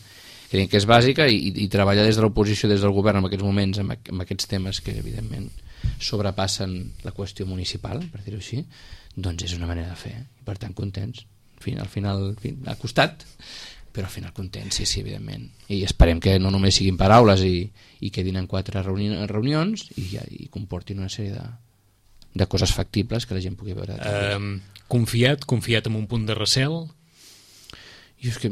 Creiem que és bàsica, i, i treballar des de l'oposició, des del govern, en aquests moments, amb, amb aquests temes que, evidentment, sobrepassen la qüestió municipal, per dir-ho així, doncs és una manera de fer, i per tant contents. En fi, al final, en fi, ha costat, però al final contents, sí, sí, evidentment. I esperem que no només siguin paraules i, i quedin en quatre reuni reunions i, ja, i comportin una sèrie de, de coses factibles que la gent pugui veure. Um, confiat, confiat en un punt de recel? Jo és que...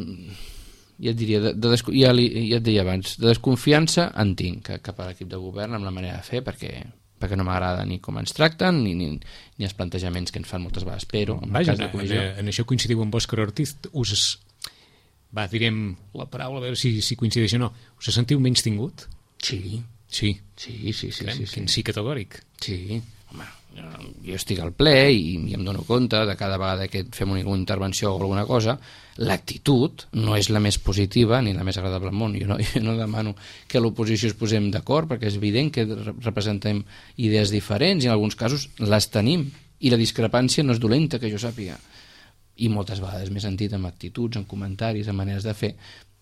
ja et diria, de, de desco... ja, li, ja et deia abans, de desconfiança en tinc cap a l'equip de govern amb la manera de fer, perquè, perquè no m'agrada ni com ens tracten ni, ni, ni els plantejaments que ens fan moltes vegades, però en Vaja, el cas de comissió... en, en això coincidiu amb Òscar Ortiz, us va, direm la paraula, a veure si, si coincideix o no, us sentiu menys tingut? Sí. Sí. Sí, sí, sí. Crem, sí, sí. sí categòric. Sí, home, jo estic al ple i, i em dono compte de cada vegada que fem una, una intervenció o alguna cosa, l'actitud no és la més positiva ni la més agradable al món. Jo no, jo no demano que a l'oposició es posem d'acord, perquè és evident que representem idees diferents i en alguns casos les tenim, i la discrepància no és dolenta, que jo sàpiga. I moltes vegades m'he sentit amb actituds, amb comentaris, amb maneres de fer,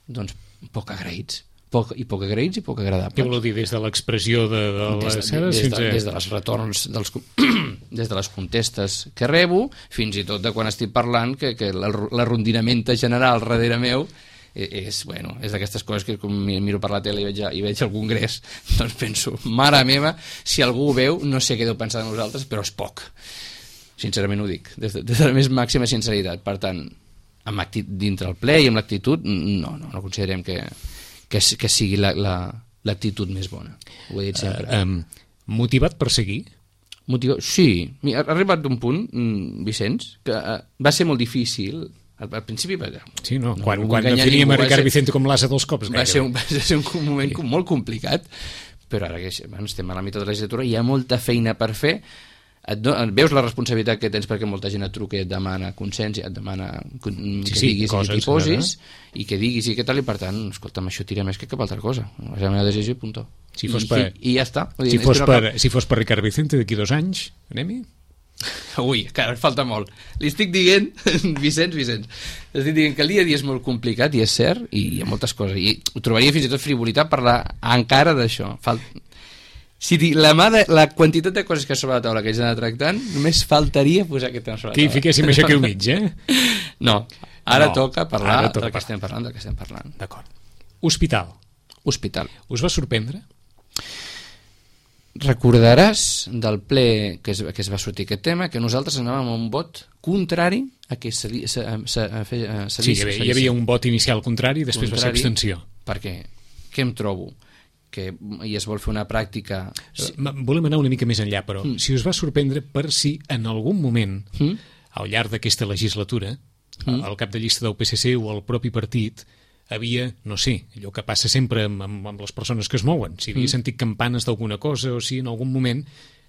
doncs poc agraïts. Poc, i poc agraïts i poc agradables. Què voleu dir, des de l'expressió de, de les des, ceres? des, Fins de, a... des de les retorns dels, des de les contestes que rebo, fins i tot de quan estic parlant que, que l'arrondinamenta general darrere meu és, bueno, és d'aquestes coses que com miro per la tele i veig, i veig al Congrés, doncs penso, mare meva, si algú ho veu no sé què deu pensar de nosaltres, però és poc, sincerament ho dic, des de, des de la més màxima sinceritat. Per tant, amb actit, dintre el ple i amb l'actitud, no, no, no considerem que Que, que sigui l'actitud la, la, més bona. Ho he dit sempre. Uh, um, motivat per seguir? Motivat? Sí. Ha arribat d'un punt, Vicenç, que uh, va ser molt difícil. Al, al principi... Sí, no? no quan no quan definíem a Ricard ser, Vicente com l'asa dels cops. Va ser, un, va ser un moment sí. molt complicat, però ara que bueno, estem a la meitat de la legislatura, hi ha molta feina per fer. Et, do, et veus la responsabilitat que tens perquè molta gent et truca i et demana consens i et demana que sí, sí, diguis coses, i t'hi posis eh? I que diguis i què tal, i per tant, escolta'm, això tira més que cap altra cosa. És la meva decisió i punt. Si fos I, per, i, i ja està. Si, dir, fos no per, cap... si fos per Ricard Vicente d'aquí dos anys, anem-hi? Ui, encara falta molt. Li estic dient, Vicenç, Vicenç, estic dient que el dia a dia és molt complicat i és cert, i hi ha moltes coses. I ho trobaria fins i tot frivolitat parlar encara d'això. Falta... Si la, de, la quantitat de coses que sobre la taula que haig d'anar tractant, només faltaria posar aquest tema sobre la taula. Que hi fiquéssim això aquí al mig, eh? No, ara no, toca parlar ara toca del que estem parlant, del que estem parlant. D'acord. Hospital. Hospital. Us va sorprendre? Recordaràs del ple que es, que es va sortir aquest tema que nosaltres anàvem a un vot contrari a que se, se, se, se, se sí, hi havia, hi havia un vot inicial contrari i després contrari, va ser abstenció. Per què? Què em trobo? Que i es vol fer una pràctica... Sí. Volem anar una mica més enllà, però mm. si us va sorprendre per si en algun moment, mm. al llarg d'aquesta legislatura, mm. el cap de llista del P S C o el propi partit havia, no sé, allò que passa sempre amb, amb, amb les persones que es mouen, si havia mm. sentit campanes d'alguna cosa o si en algun moment,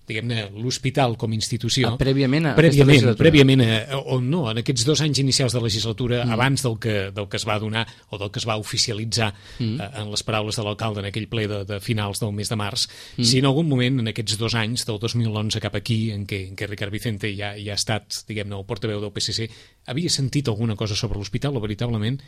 diguem-ne, l'hospital com a institució... Ah, prèviament a prèviament, prèviament a, o no, en aquests dos anys inicials de legislatura, mm. abans del que, del que es va donar o del que es va oficialitzar mm. eh, en les paraules de l'alcalde en aquell ple de, de finals del mes de març, mm. si en algun moment en aquests dos anys, del dos mil onze cap aquí, en què, en què Ricard Vicente ja, ja ha estat, diguem-ne, el portaveu del P S C, havia sentit alguna cosa sobre l'hospital o veritablement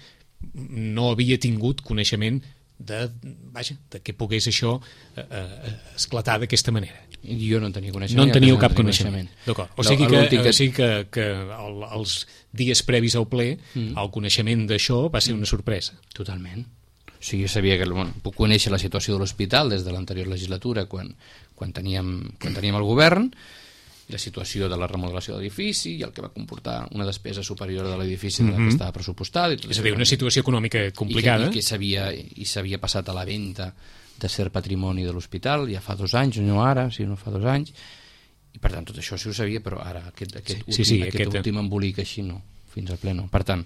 no havia tingut coneixement de, vaja, de que pogués això eh, eh, esclatar d'aquesta manera. Jo no en tenia coneixement. No en teníeu cap coneixement. D'acord. O sigui que, que... o sigui que, que el, els dies previs al ple mm. el coneixement d'això va ser una sorpresa. Totalment. O sigui, jo sabia que bueno, puc conèixer la situació de l'hospital des de l'anterior legislatura quan, quan, teníem, quan teníem el govern, la situació de la remodelació de l'edifici i el que va comportar una despesa superior de l'edifici mm-hmm. que estava pressupostada. I tot és a dir, una situació econòmica complicada. I que, i que s'havia passat a la venda de cert patrimoni de l'hospital ja fa dos anys, no ara, si no fa dos anys, i per tant tot això sí ho sabia, però ara aquest, aquest, sí, últim, sí, sí, aquest, aquest últim embolic així no, fins al ple no. Per tant,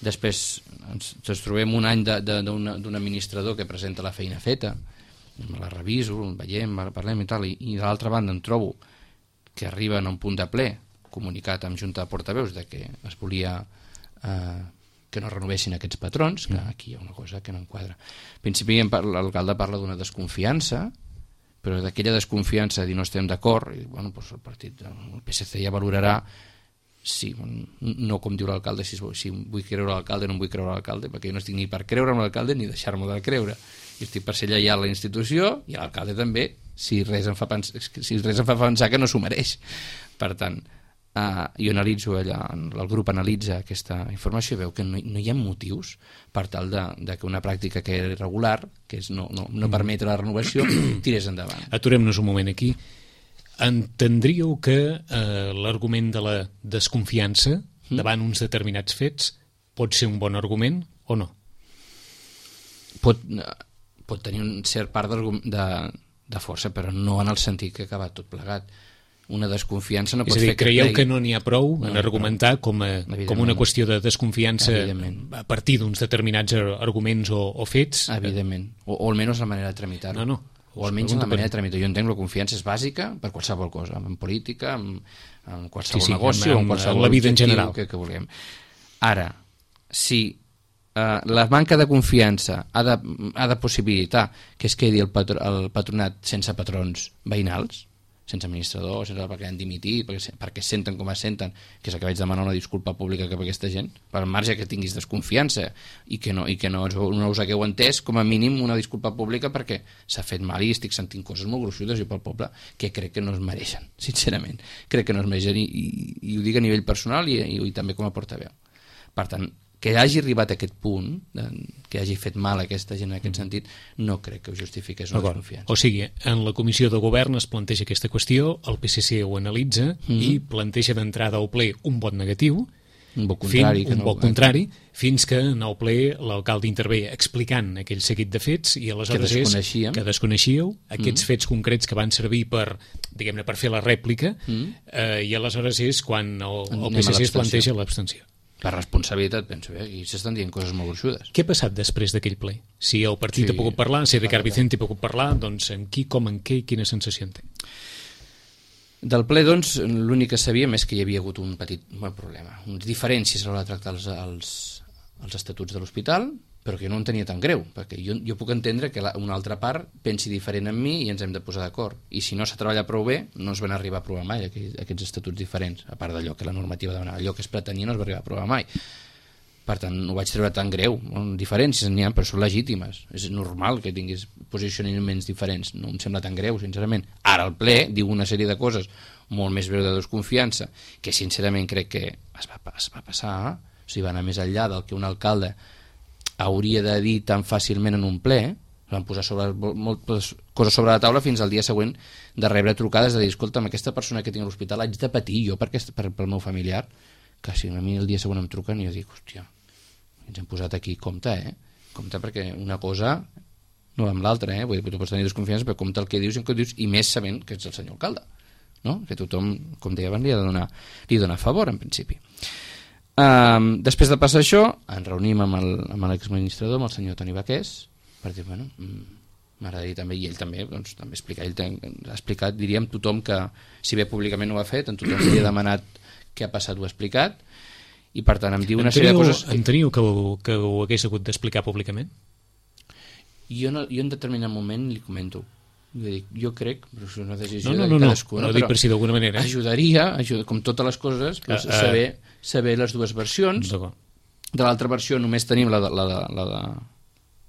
després ens, ens trobem un any d'un administrador que presenta la feina feta, me la reviso, veiem, parlem i tal, i, i de l'altra banda em trobo que arriben a un punt de ple comunicat amb Junta de Portaveus de que es volia eh, que no renovessin aquests patrons, que aquí hi ha una cosa que no enquadra. En principi l'alcalde parla d'una desconfiança, però d'aquella desconfiança de dir no estem d'acord, i bueno, doncs el partit, el P S C ja valorarà si, no com diu l'alcalde, si, si vull creure l'alcalde o no vull creure l'alcalde, perquè jo no estic ni per creure en l'alcalde ni deixar-me de creure. Jo estic per ser lleial a la institució i l'alcalde també, si res em fa pensar, si res em fa pensar que no s'ho mereix. Per tant, eh, jo analitzo allà, el grup analitza aquesta informació i veu que no, no hi ha motius per tal de, de que una pràctica que era irregular, que és no, no, no permetre la renovació, tirés endavant. Aturem-nos un moment aquí. Entendríeu que eh, l'argument de la desconfiança mm. davant uns determinats fets pot ser un bon argument o no? Pot, pot tenir un cert part de, de força, però no en el sentit que ha acabat tot plegat. una desconfiança no és pot a dir, fer que creieu cregui... que no n'hi ha prou en No, argumentar com, a, com una qüestió de desconfiança Evidentment. a partir d'uns determinats arguments o, o fets? Evidentment, o, o almenys la manera de tramitar-ho. No, no. O almenys la manera de tramitar. Jo entenc que la confiança és bàsica per qualsevol cosa, en política, en, en qualsevol sí, sí, negoci, en, en, en qualsevol la vida en general. que, que vulguem. Ara, si eh, la manca de confiança ha de, ha de possibilitar que es quedi el, patro, el patronat sense patrons veïnals, sense administrador, sense perquè han dimitit, perquè, perquè senten com es senten, que és el que vaig demanar una disculpa pública cap a aquesta gent, per marge que tinguis desconfiança i que no, i que no, no us hagueu entès, com a mínim una disculpa pública perquè s'ha fet mal i estic sentint coses molt gruixudes jo pel poble que crec que no es mereixen, sincerament. Crec que no es mereixen i, i, i ho dic a nivell personal i, i, i també com a portaveu. Per tant, que hagi arribat a aquest punt, que hagi fet mal a aquesta gent en aquest sentit, no crec que ho justifiqués una desconfiança. O sigui, en la comissió de govern es planteja aquesta qüestió, el P S C ho analitza mm-hmm. i planteja d'entrada al ple un vot negatiu, un vot contrari, fin, un no, vot contrari fins que en el ple l'alcalde intervé explicant aquell seguit de fets i aleshores que és que desconeixíeu aquests mm. fets concrets que van servir per, diguem-ne, per fer la rèplica mm. eh, i aleshores és quan el, el P S C es planteja l'abstenció. Per responsabilitat, penso, eh? I s'estan dient coses molt gruixudes. Què ha passat després d'aquell ple? Si el partit sí, ha pogut parlar, si Ricard Vicente ha pogut parlar, doncs amb qui, com, en què i quina sensació en té? Del ple, doncs, l'únic que sabíem és que hi havia hagut un petit un problema, unes diferències a l'hora de tractar els, els, els estatuts de l'hospital, però que jo no en tenia tan greu, perquè jo, jo puc entendre que la, una altra part pensi diferent en mi i ens hem de posar d'acord. I si no s'ha treballat prou bé, no es van arribar a aprovar mai aquests, aquests estatuts diferents, a part d'allò que la normativa demanava, allò que es pretenia no es va arribar a aprovar mai. Per tant, no ho vaig treure tan greu. Diferències n'hi ha, però són legítimes. És normal que tinguis posicionaments diferents. No em sembla tan greu, sincerament. Ara el ple diu una sèrie de coses molt més greu de desconfiança, que sincerament crec que es va, es va passar, o sigui, va anar més enllà del que un alcalde hauria de dir tan fàcilment en un ple, van posar sobre, moltes coses sobre la taula fins al dia següent de rebre trucades de dir, escolta, amb aquesta persona que tinc a l'hospital haig de patir jo per aquest, per, pel meu familiar, que si a mi el dia següent em truquen i jo dic, hòstia, ens hem posat aquí, compte, eh? Compte perquè una cosa no va amb l'altra, eh? Vull dir, tu pots tenir desconfiança, però compte el que dius i el que dius, i més sabent que ets el senyor alcalde, no? Que tothom, com deia abans, li ha de donar, li dona favor, en principi. Um, després de passar això, ens reunim amb l'exadministrador, amb el senyor Toni Baqués, per dir, bueno, m'agradaria també, i ell també, doncs, també explicar, ell ten, ha explicat, diríem, tothom que, si bé públicament no ho ha fet, en tothom li ha demanat què ha passat, ho ha explicat, i per tant em diu una enteniu, sèrie de coses... Enteniu que ho, que ho hagués hagut d'explicar públicament? Jo, no, jo en determinat moment li comento. Jo, dic, jo crec, però és una decisió no, no, de no, cadascú, no, no, dic per si d'alguna manera. Ajudaria, ajuda, com totes les coses, doncs, uh, uh, saber, saber les dues versions. De l'altra versió només tenim la de... La de, la de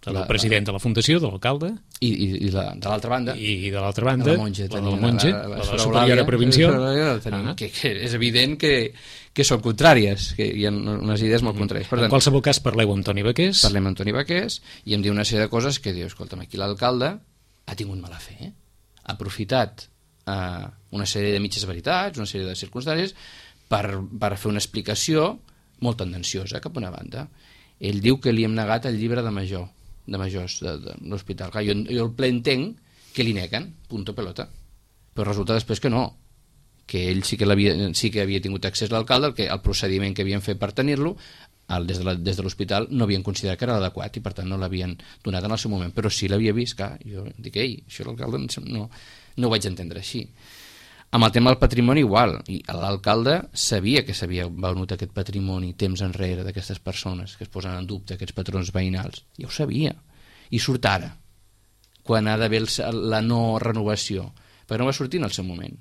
del la, president de la fundació, de l'alcalde, i, i, i la, de l'altra banda i, i de l'altra banda la monja, la, la, monja, la, la, la, la superiora provincial, ah. que, que és evident que, que són contràries, que hi ha unes idees molt contràries. Per tant, en qualsevol cas parleu amb Toni Baqués, parlem amb Toni Baqués i em diu una sèrie de coses que diu, escolta'm, aquí l'alcalde ha tingut mala fe, eh? Ha aprofitat eh, una sèrie de mitges veritats, una sèrie de circumstàncies per, per fer una explicació molt tendenciosa cap a una banda. Ell diu que li hem negat el llibre de major de majors de, de l'hospital. Jo, jo el ple entenc que li neguen, punto pelota, però resulta després que no, que ell sí que, sí que havia tingut accés a l'alcalde, el, que, el procediment que havien fet per tenir-lo el, des de l'hospital no havien considerat que era adequat i per tant no l'havien donat en el seu moment, però sí l'havia vist, que jo dic, ei, això l'alcalde no, no ho vaig entendre així. Amb el tema del patrimoni igual, i l'alcalde sabia que s'havia venut aquest patrimoni temps enrere d'aquestes persones que es posen en dubte, aquests patrons veïnals, ja ho sabia, i surt ara quan ha d'haver la no renovació, perquè no va sortir en el seu moment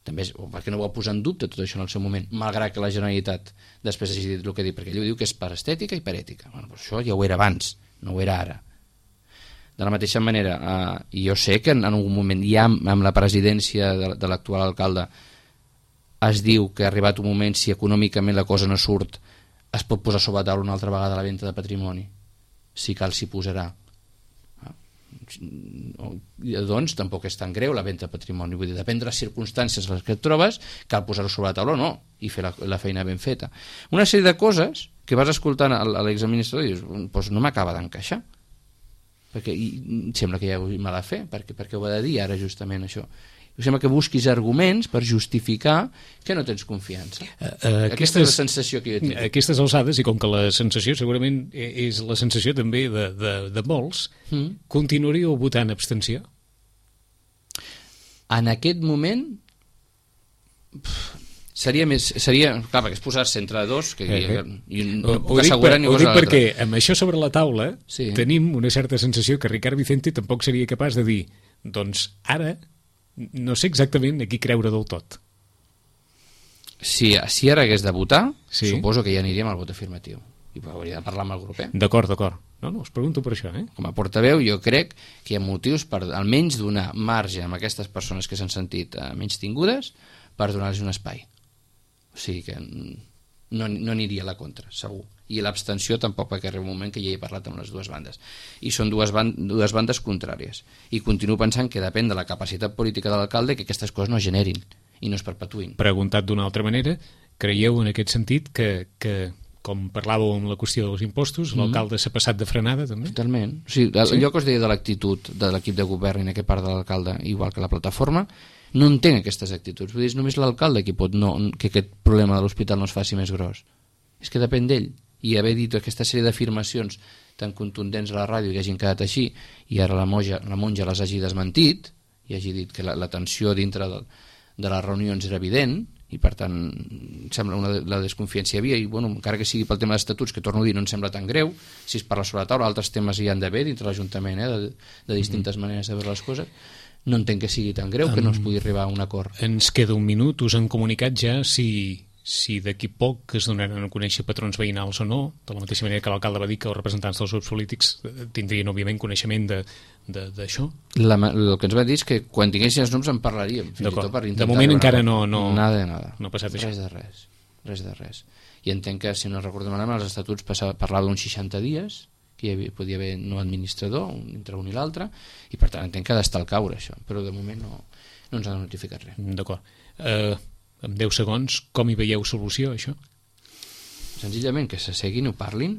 també, o perquè no va posar en dubte tot això en el seu moment, malgrat que la Generalitat després hagi dit el que ha dit, perquè ell diu que és per estètica i per ètica. Bueno, però això ja ho era abans, no ho era ara. De la mateixa manera, eh, jo sé que en, en algun moment ja amb la presidència de, de l'actual alcalde es diu que ha arribat un moment, si econòmicament la cosa no surt, es pot posar sobre la taula una altra vegada la venda de patrimoni, si cal s'hi posarà. Doncs tampoc és tan greu la venda de patrimoni, vull dir, depèn de les circumstàncies en les que et trobes, cal posar-ho sobre la taula o no, i fer la, la feina ben feta. Una sèrie de coses que vas escoltant a l'exadministrador i dius, doncs no m'acaba d'encaixar, perquè i, sembla que hi ha mala fe, perquè, perquè ho ha de dir ara justament això. Sembla que busquis arguments per justificar que no tens confiança. Uh, uh, aquestes, Aquesta és la sensació que jo tinc. Aquestes alçades, i com que la sensació segurament és la sensació també de, de, de molts, mm. continuaríeu votant abstenció? En aquest moment pff, seria més... Seria, clar, perquè és posar-se entre dos que, eh, eh. i no puc assegurar ni cosa l'altra. Ho dic perquè amb això sobre la taula sí. tenim una certa sensació que Ricard Vicente tampoc seria capaç de dir doncs ara no sé exactament a qui creure del tot. Si, si ara hagués de votar, sí. suposo que ja aniríem al vot afirmatiu. I hauria de parlar amb el grup, eh? D'acord, d'acord. No, no, us pregunto per això, eh? Com a portaveu, jo crec que hi ha motius per almenys donar marge a aquestes persones que s'han sentit eh, menys tingudes per donar-los un espai. O sigui que no, no aniria a la contra, segur. I l'abstenció tampoc, perquè arriba un moment que ja he parlat amb les dues bandes. I són dues, ban dues bandes contràries. I continuo pensant que depèn de la capacitat política de l'alcalde que aquestes coses no es generin i no es perpetuïn. Preguntat d'una altra manera, creieu en aquest sentit que, que com parlàveu amb la qüestió dels impostos, mm. l'alcalde s'ha passat de frenada també? Totalment. O sigui, sí? Allò que us deia de l'actitud de l'equip de govern i en aquest part de l'alcalde, igual que la plataforma, no entenc aquestes actituds. Vull dir, és només l'alcalde qui pot no, que aquest problema de l'hospital no es faci més gros. És que depèn d'ell. I haver dit aquesta sèrie d'afirmacions tan contundents a la ràdio que hagin quedat així i ara la monja, la monja les hagi desmentit i hagi dit que la, la tensió dintre de, de les reunions era evident i per tant sembla una, la desconfiança hi havia i bueno, encara que sigui pel tema d'estatuts, que torno a dir no em sembla tan greu, si es parla sobre la taula altres temes hi han d'haver dintre l'Ajuntament eh, de, de distintes mm-hmm. maneres de veure les coses, no entenc que sigui tan greu um, que no es pugui arribar a un acord. Ens queda un minut, us han comunicat ja si si d'aquí poc es donaran a conèixer patrons veïnals o no, de la mateixa manera que l'alcalde va dir que els representants dels grups polítics tindrien, òbviament, coneixement d'això. El que ens va dir és que quan tinguessin els noms en parlaríem. De moment encara no, no, nada de nada. no ha passat això. Res de res. Res de res. I entenc que, si no recordem ara, els estatuts parlava d'uns seixanta dies, que hi havia, podia haver no administrador, entre un i l'altre, i per tant entenc que ha d'estar al caure això, però de moment no, no ens ha notificat res. D'acord. Eh... Uh... en deu segons, com hi veieu solució, això? Senzillament que s'asseguin, ho parlin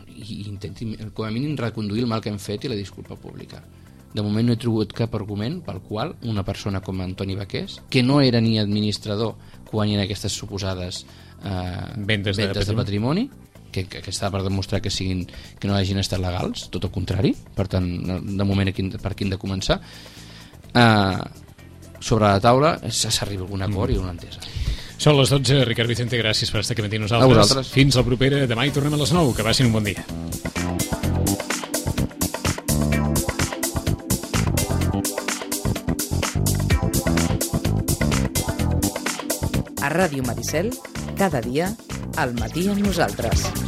i intentin, com a mínim, reconduir el mal que hem fet i la disculpa pública. De moment no he trobat cap argument pel qual una persona com Antoni Baqués, que no era ni administrador quan hi ha aquestes suposades eh, vendes, vendes de, de patrimoni, que, que, que està per demostrar que, siguin, que no hagin estat legals, tot el contrari, per tant, de moment aquí, per aquí hem de començar. Eh... sobre la taula s'arriba a algun acord mm. i una entesa. Són les dotze. Ricard Vicente, gràcies per estar aquí amb nosaltres. A vosaltres. Fins la propera. Demà hi tornem a les nou. Que passin un bon dia. A Ràdio Maricel, cada dia, al matí amb nosaltres.